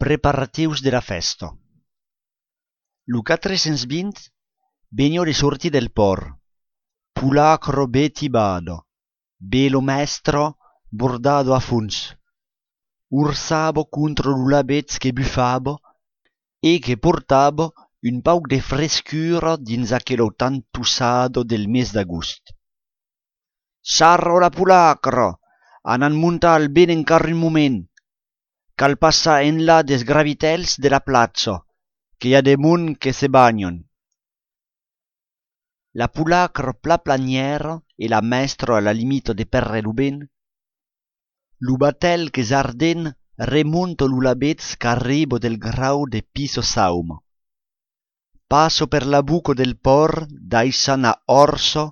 Preparatius de la festa. Lu 420 vegno de sortir del port. Pulacro betibado, belo mestro bordado a funs. Ursabo contro l'ulabez che buffabo e che portabo un pauc de frescura dins aquello tan tussado del mes d'agost. Sarro la pulacro, anan muntal ben encara un moment. Cal passar enlà des gravitels de la platza, que hi ha de munt que se bagnon. La pulacro pla planiera e la maestro alla limito de perre lu ben. Lu batel che s'arden remonto l'ulabez qu'arribo del grau de piso sauma. Passo per la buco del por d'aisan a orso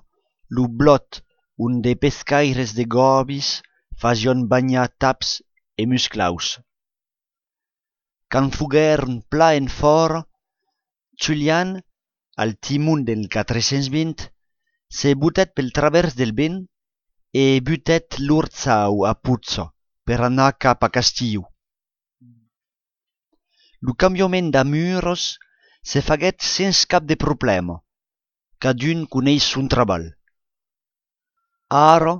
lu blot un de pescaires de gobis fasion bagnar taps e musclaus. Can fuguern pla en fora, Julian, al timon del 420, se butet pel travers del ben e butet l'urzau a puzzo per anar cap a Castillo. Lu cambiament d'amuros se faguet sens cap de problema, cadun coneix son treball. Ara,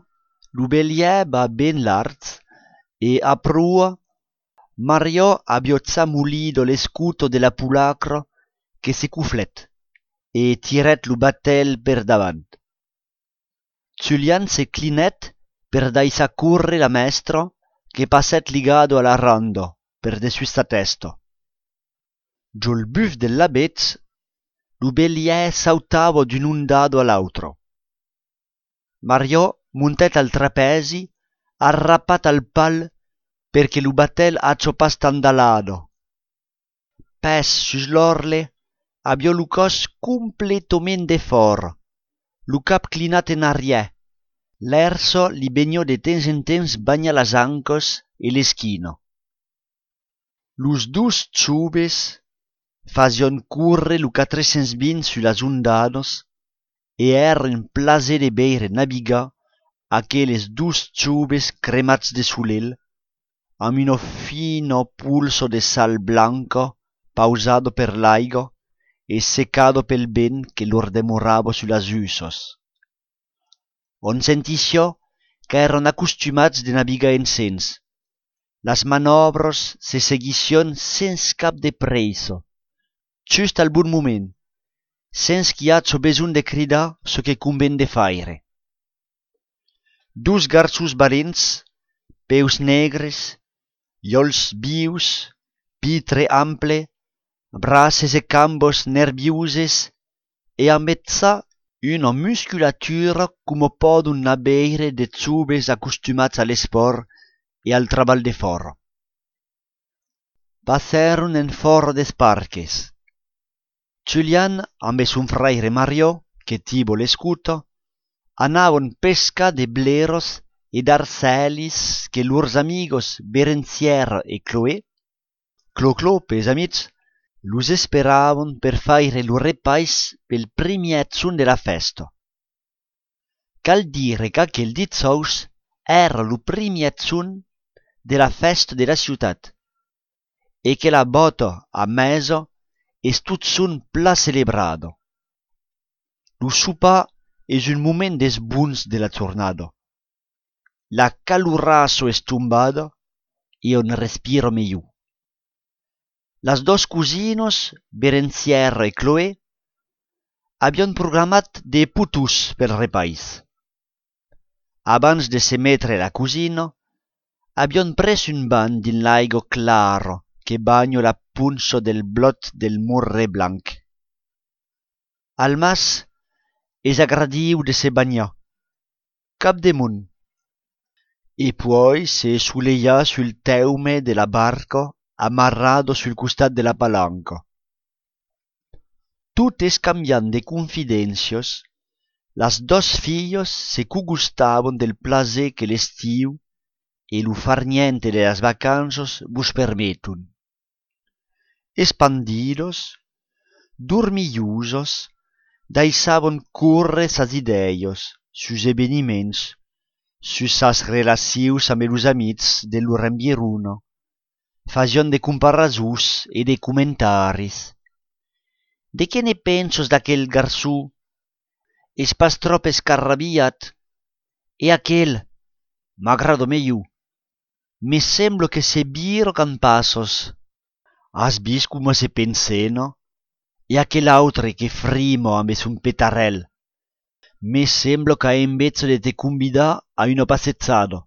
lu belier va ben lart e a prua Mario abiozza mulido l'escuto de la pulacro che se cuflet e tiret lu batel per davant. Julian se clinet per daisa curre la maestro che passet ligado alla rando per de susta testa. Giol buff dell'abez, lu belier sautavo d'un un dado all'altro. Mario muntet al trapezi, arrappat al pal perché lu batel accio pas tandalado. Pes sus l'orle, abio lu cos completament de for, lu cap clinat en arriè, l'erso li begno de temps en temps bagna las ancos e l'eschino. Lus dus ciubes fasion curre lu 420 su las undados e eren plaser de beire nabiga aqueles dus ciubes cremats de sulel, amb uno fino pulso de sal blanco pausado per l'aigo e secado pel ben che lor demoravo su las usos. On sentissió qu'èron acostumats de navigar en sens. Las manobros se seguission sens cap de presso, just al bon moment, sens qu'hi hacho besoin de cridar so que conven de faire. Dus garços valents, peus negres, llòls vius, pitre ample, braces e cambos nerviuses e a metzà una musculatura como podun abeire de ciubes acostumats a l'esport e al treball de fora. Passeron en fora des parques. Julian amb son fraire Mario, que tibo l'escuto, anavon pesca de bleros e d'arcelis que lurs amigos Berenzier e Chloé, Clo pes amics, lus esperavon per faire lu repais pel primiètzun de la festa. Cal dire qu'aquel dizous era lu primiètzun de la festa de la ciutat e que la bota a meso es tutzun pla celebrado. Lu sopar es un moment des buns de la jornada. La calurazo es tombada e on respiro millor. Las dos cosinos, Berenzier e Chloé, avion programat de putus pel repais. Abans de se metre la cosina, avion pres un ban din l'aigo claro que bagno la punso del blot del murre blanc. Al mas es agradiu de se bagnar, cap de munt, e poi se suleia sul teume de la barca amarrado sul costat de la palanca. Tot escambiant de confidencios, las dos fillos se cugustavon del plaser que l'estiu e lu farniente de las vacanzas vos permetun. Espandidos, dormillosos, daisavon curre sas ideios, sus eveniments, sus sas relacions amb los amics de lor environa, fazion de comparaçons e de comentaris. De què ne pensos d'aquel garçó? És pas trop escarrabiat? E aquel? M'agrado meglio. Me semblo que se biro can passos. Has vist coma se pensena? E aquel autre che frimo amb son petarel. Me semblo che invece de te convidar a una passezzada.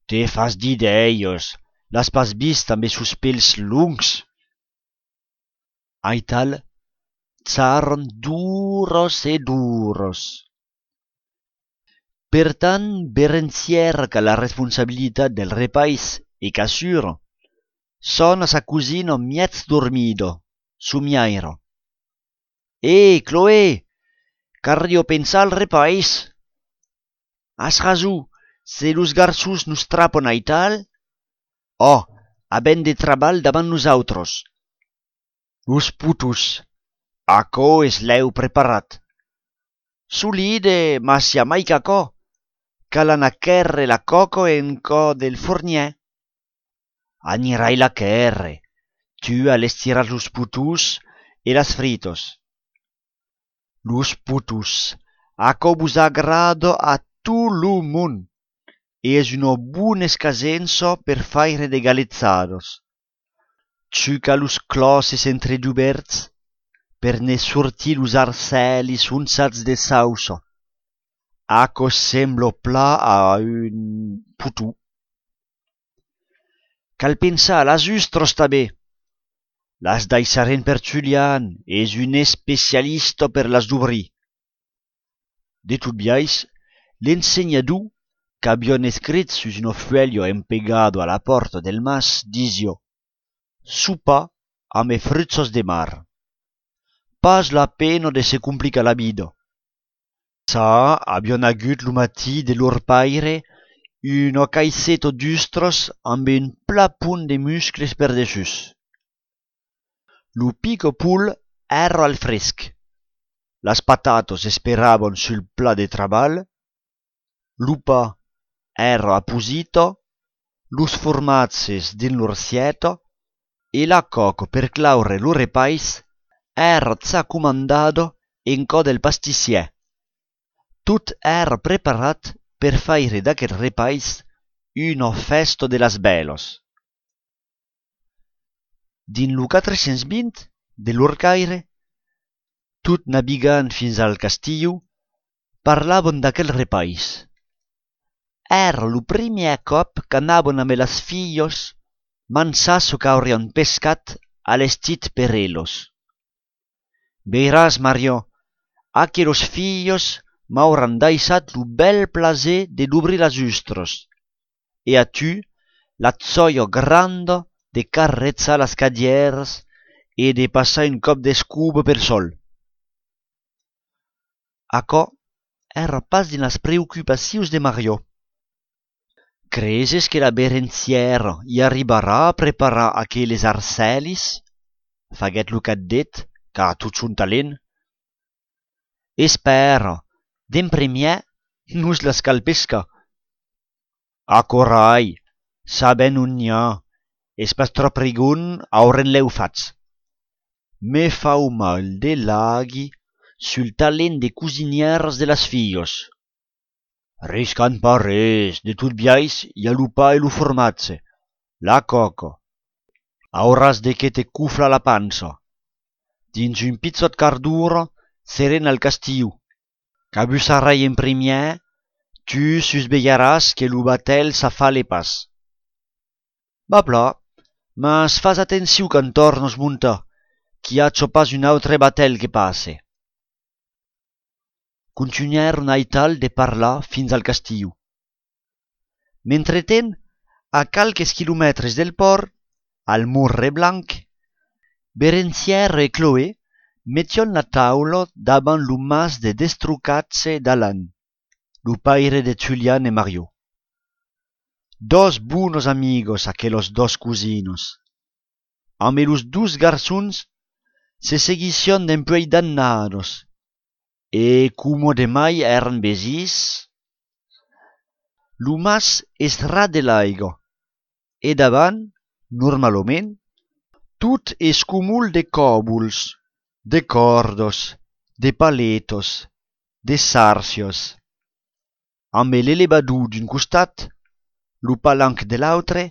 Te fas d'ideios, l'has pas vist amb sos pèls lungs? Aital, s'aron duros e duros. Per tant, Berenzier qu'a la responsabilitat del repais e qu'assura, sona sa cusina miez dormido, sumiairo. Chloé, cardio pensar al repais? Has raso, se los garçons nos trapon aital? Oh, haben de trabal davant nosautros. Los putos, aquò es l'heu preparat. Solide, ma sia mai qu'aquò, calan a querre la coco en co del fornier. Anirai la querre, tu al estirar los putus e las fritos. Los putus, aquò vos agrada a tot lo món, e es una bona escasença per faire de galetzados. Tu ca los closes entre duberts, per ne sortir los arcelis unzats de sausa. Aquò sembla pla a un putu. Cal pensar las ustros també. Las daissaren per Julian, és un especialista per las d'obrir. De tot biais, l'ensenyador, qu'avion escrit sus un fuello empegado a la porta del mas, disio: sopa amb frutzos de mar. Pas la pena de se complicar la vida. Sa avion agut lo matí de lor paire una caisseta d'ustros amb un pla punt de muscles per dessus. Lo pico pool era al fresc. Las patatos esperaban sul plat de treball. Lo pa era apposito, los formazes din l'orsieta e la coco per claure lo repais era za comandado en co del pastissier. Tot era preparat per faire d'aquel repais una festa de las belos. Din lo 420 de l'Orcaire, tot navigant fins al castillo, parlaven d'aquel repais. Era lo primer cop qu'anaven amb las fillos mansar so qu'aurian pescat a l'estit per ellos. Veiràs, Mario, aquelos fillos m'auran daisat lo bel plaser de d'obrir las ustros, e a tu la zoia granda de carrezzar las cadieras e de passar un cop d'escuba per sol. Aquò era pas din las preocupacions de Mario. Creses que la Berenzier hi arribarà a preparar aqueles arcelis? Faguet lo cadet, qu'a tot son talent. Espera, d'en primièr nos las cal pescar. Acorai, saben on n'hi ha, és pas trop rigon auren l'heu fats. Me fau mal de laghi sul talent de cusinières de las fillos. Riscan pas res, de tot biais hi ha lo pa e lo formatge, la coco. Auràs de que te cufla la pansa. Dins un pizzot cardura seren al castillo. Qu'abusarai en primièr, tu susveillaràs que lo batel s'afale pas. Va pla, mas fas atenció quand tornos muntar, qu'hi haja pas un autre batel que passe. Continuèron aital de parlar fins al castillo. Mentretent, a calques quilomètres del port, al Morre Blanc, Berenzier e Chloé mettion la taula davant lo mas de Destrucatze d'Alan, lo paire de Julian e Mario. Dos buenos amigos aquelos dos cusinos. Amb los dos garzons se seguición d'empuei dannados, e como de mai eran besis. Lo mas es ras de l'aigua, e davant normalment, tot es cumul de còbuls, de cordos, de paletos, de sarcios. Amb l'elevador d'un costat, lo palanc de l'autre,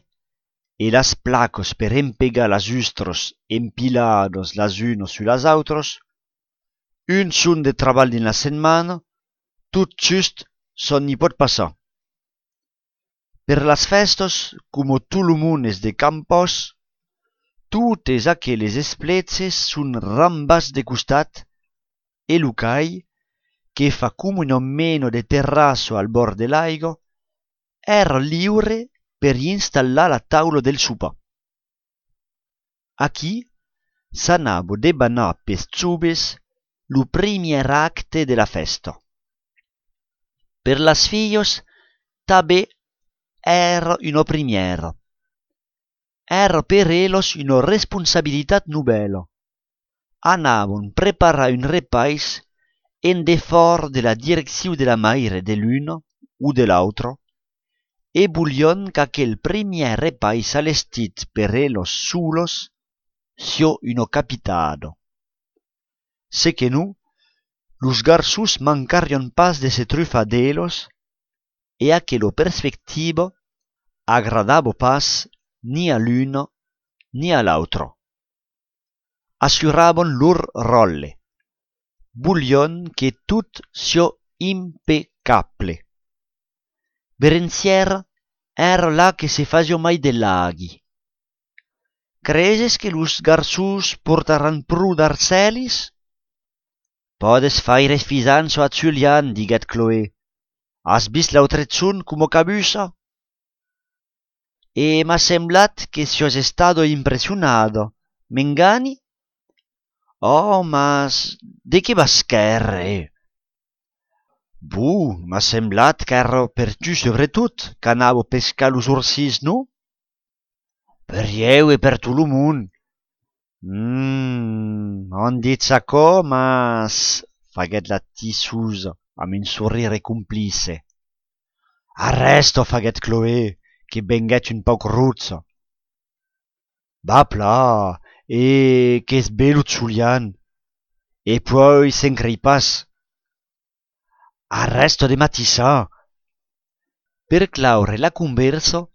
e las placos per empegar las ustros empilados las unos su las autros, un son de treball din la setmana, tot just son ni pot passar. Per las festos, como tout lo món es de campos, totes aquelles espletzes son rambas de costat e lo cai, che fa come un meno de terrasso al bord de l'aigo, era liure per installare la taula del sopar. Aquí s'anava debanar pes zubes lo primier acte de la festa. Per las fillos també era una primiera. Era per ellos una responsabilitat nobela. Anaven preparar un repais en defort de la direcció de la mare de l'uno o de l'altro, e voglion qu'aquel primier repais allestit per ellos solos sia uno capitado. Se que no, los garçons mancarion pas de se trufar d'ellos, e aquella perspectiva agradava pas ni a l'uno ni a l'altro. Assuraven lor rolle. Voglion que tot sia impeccable. Berenziera era là que se faceva mai de laghi. Creses que los garçons portaran prou d'arcelis? Podes faire fisanzo a Julian, diguet Chloé. Has vist l'autrezun como cabusa? E m'ha semblat que si has estado impressionado. M'engani? Oh, mas de què vas querer? M'ha semblat que era per tu sobretot, que anava a pescar los orsis, no? Per eu e per tot lo món. On dit s'acò, mas faguet la tissusa amb un sorrire complice. Arresto, faguet Chloé, che benguet un pauc rozza. Va pla, e che es bello Julian. E poi s'encrei pas. Arresto de matissà. Per claure la conversa,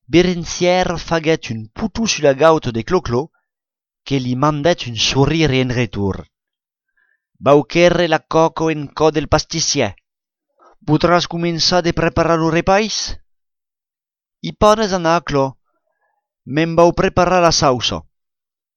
Berenzier faguet un putu sulla gauta de Clo-Clo, che li mandet un sorrire en retur. Bauquerre la coco en co del pastissier. Podràs començar de preparar lo repais? I pones anar, Clo. Me'n vau preparar la sausa.